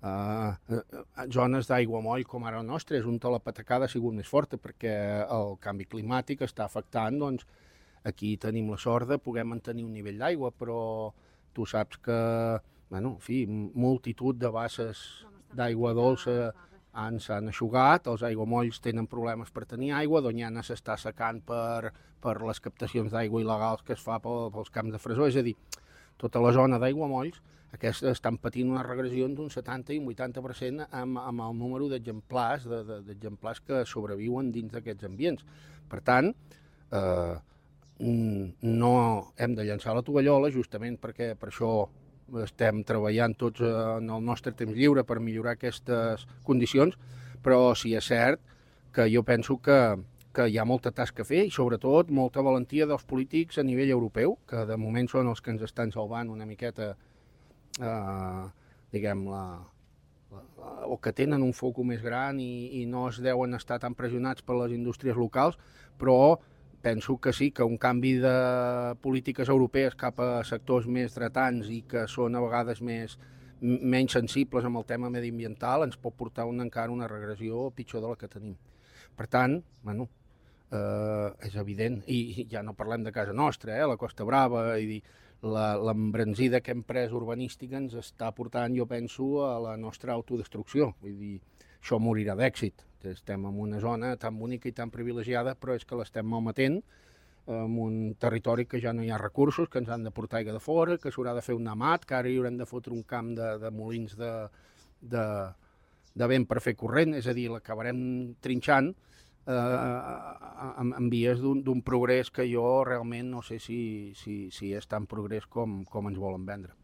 Zones d'aiguamoll com ara la nostra és on la patacada ha sigut més forta perquè el canvi climàtic està afectant, doncs aquí tenim la sort de poder mantenir un nivell d'aigua, però tu saps que, bueno, en fi, multitud de basses d'aigua dolça s'han eixugat, els aiguamolls tenen problemes per tenir aigua, Doñana s'està secant per les captacions d'aigua il·legals que es fa pels camps de fresó, és a dir, tota la zona d'aiguamolls aquests estan patint una regressió d'un 70 i un 80% amb el número d'exemplars que sobreviuen dins d'aquests ambients. Per tant, no hem de llançar la tovallola, justament perquè per això estem treballant tots en el nostre temps lliure per millorar aquestes condicions, però sí és cert que jo penso que hi ha molta tasca a fer i sobretot molta valentia dels polítics a nivell europeu, que de moment són els que ens estan salvant una miqueta diguem, o que tenen un foc més gran i no es deuen estar tan pressionats per les indústries locals, però penso que sí, que un canvi de polítiques europees cap a sectors més dretants i que són a vegades menys sensibles amb el tema mediambiental ens pot portar encara una regressió pitjor de la que tenim. Per tant, bueno, és evident, i ja no parlem de casa nostra, la Costa Brava, i l'embranzida que hem pres urbanística ens està portant, jo penso, a la nostra autodestrucció. Vull dir, això morirà d'èxit. Estem en una zona tan bonica i tan privilegiada, però és que l'estem malmetent en un territori que ja no hi ha recursos, que ens han de portar aigua de fora, que s'haurà de fer un amat, que ara hi haurem de fotre un camp de molins de vent per fer corrent, és a dir, l'acabarem trinxant en vies d'un progrés que jo realment no sé si és tan progrés com ens volen vendre.